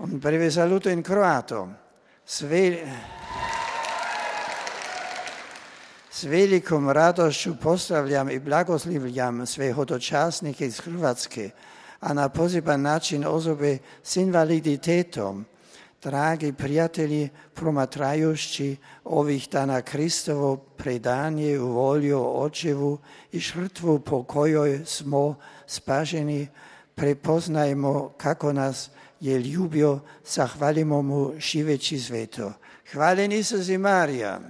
Un breve saluto in croato. S velikom radošću pozdravljam i blagoslivljam sve hodočasnike iz Hrvatske, a na poseban način osobe s invaliditetom. Dragi prijatelji, promatrajući ovih dana Kristovo predanje u volju Očevu i žrtvu po kojoj smo spašeni, prepoznajmo kako nas je ljubio, zahvalimo mu živeći sveto. Hvaljen Isus i Marija.